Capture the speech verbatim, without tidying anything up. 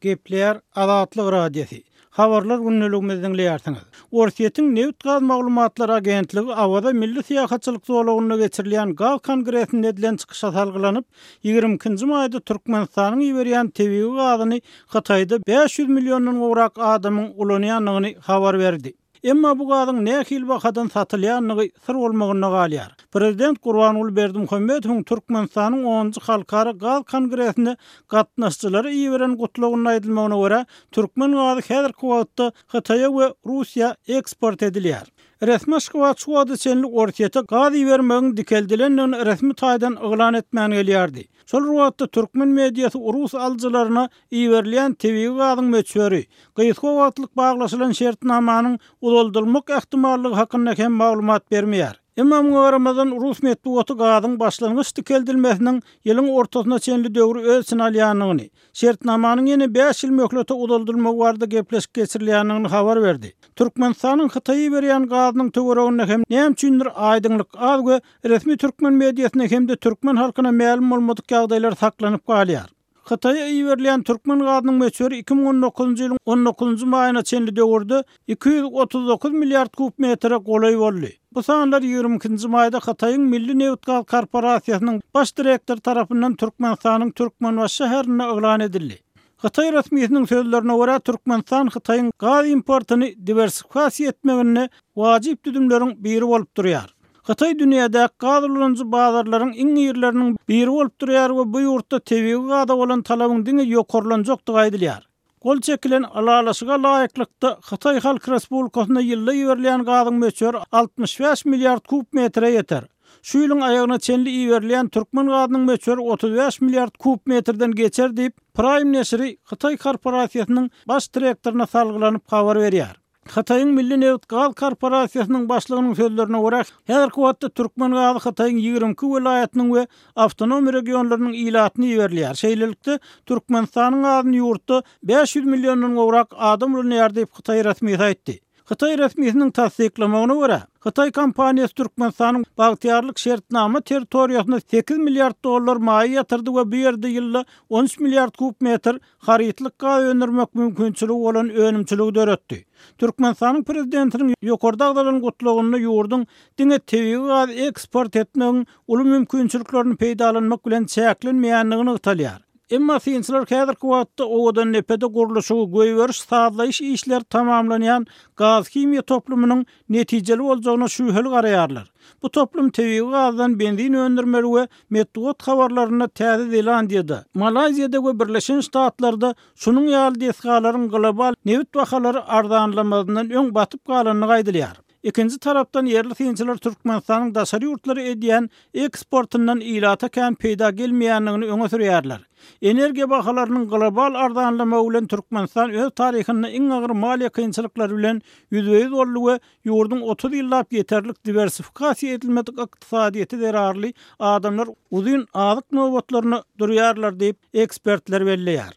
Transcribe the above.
Gepleýär Azatlyk Radiosy. Habarlar gündeligimizi diňleýärsiňiz. Orsýetiň nebit-gaz maglumatlar agentligi Awaza milli syýahatçylyk zolagynda geçirilýän gaz kongresinde edilen çykyşa salgylanyp, ýigrimi ikinji maýda Türkmenistanyň iberýän tebigy gazyny Hytaýda bäş ýüz milliondan gowrak adamyň ulanýandygyny habar berdi. Emma bu gazyň nähili bahadan satylýandygy syr bolmagynda galýar. Prezident Gurbanguly Berdimuhamedowyň Türkmenistanyň onunjy halkara gaz kongresine gatnaşyjylara iberen gutlagynda aýdylmagyna görä, türkmen gazy häzirki wagtda Hytaýa we Russiýa eksport edilýär. Resmi Aşgabat şu wagta çenli Orsýete gaz ibermegiň dikeldilendigini resmi taýdan yglan etmän gelýärdi. Şol bir wagtda türkmen mediasy rus alyjylaryna iberilýän tebigy gazyň möçberi, gysga wagtlyk baglaşylan şertnamanyň uzaldylmak ähtimallygy hakynda hem maglumat bermeýär. Emma muňa garamazdan rus metbugaty gazyň başlangyç dikeldilmesiniň ýylyň ortasyna çenli döwri öz içine alýandygyny, şertnamanyň ýene bäş ýyl möhlete uzaldylmagy barada gepleşik geçirilýändigini habar berdi. Türkmenistanyň Hytaýa iberýän gazynyň töwereginde hem näme üçindir aýdyňlyk az we resmi türkmen mediasyna hem-de türkmen halkyna mälim bolmadyk ýagdaýlar saklanyp galýar. Hytaýa iberilýän türkmen gazynyň möçberi iki müň on dokuzynjy ýylyň on dokuzynjy maýyna çenli döwürde iki ýüz otuz dokuz milliard kub metre golaý boldy. Bu sanlar ýigrimi ikinji maýda Hytaýyň Milli nebit-gaz korporasiýasynyň baş direktory tarapyndan Türkmenistanyň Türkmenbaşy şäherinde yglan edildi. Hytaý resmisiniň sözlerine görä, Türkmenistan Hytaýyň gaz importyny diwersifikasiýa etmeginde wajyp düzümleriň biri bolup durýar. Hytaý dünýädäki gaz ulanyjy bazarlaryň iň irileriniň biri bolup durýar we bu ýurtda tebigy gaza bolan talabyň diňe ýokarlanjakdygy aýdylýar. Gol çekilen ylalaşyga laýyklykda Hytaý Halk Respublikasyna ýylda iberilýän gazyň möçberi altmyş bäş milliard kub metre ýeter. Şu ýylyň aýagyna çenli iberilýän türkmen gazynyň möçberi otuz bäş milliard kub metrden geçer diýip, Prime neşiri Hytaý korporasiýasynyň baş direktoryna salgylanyp habar berýär. Hytaýyň Milli nebit-gaz korporasiýasynyň başlygynyň sözlerine görä, häzirki wagtda türkmen gazy Hytaýyň ýigrimi iki welaýatynyň we awtonom regionlarynyň ilatyna iberilýär. Şeýlelikde, Türkmenistanyň gazyny ýurtda bäş ýüz milliondan gowrak adam ulanýar diýip, Hytaý resmisi aýtdy. Hytaý resmisiniň tassyklamagyna görä, Hytaý kompaniýasy Türkmenistanyň Bagtyýarlyk şertnama territoriýasyna sekiz milliard dollar maýa ýatyrdy we bu ýerde ýylda on üç milliard kub metr harytlyk gaz öndürmek mümkinçiligi bolan önümçiligi döretdi. Türkmenistanyň prezidentiniň ýokarda agzalan gutlagynda ýurduň diňe tebigy gaz eksport etmegiň uly mümkinçiliklerini peýdalanmak bilen çäklenmeýändigini nygtalýar. Emma synçylar häzirki wagtda Owadandepede gurluşygy goýberiş sazlaýyş işleri tamamlanýan gaz himiýa toplumynyň netijeli boljagyna şübheli garaýarlar. Bu toplum tebigy gazdan benzin öndürmeli we metbugat habarlarynda Täze Zelandiýada, Malaýziýada we Birleşen Ştatlarda şunuň ýaly desgalaryň global nebit bahalary arzanlamazyndan öň batyp galandygy aýdylýar. Ikinji tarapdan ýerli synçylar Türkmenistanyň daşary ýurtlara edýän eksportyndan ilata kän peýda gelmeýändigini öňe sürýärler. Energiýa bahalarynyň global arzanlamagy bilen Türkmenistan öz taryhynda iň agyr maliýe kynçylyklary bilen ýüzbe-ýüz boldy we ýurduň otuz ýyllap ýeterlik diwersifikasiýa edilmedik ykdysadyýeti zerarly adamlar uzyn azyk nobatlaryna durýarlar diýip ekspertler belleýär.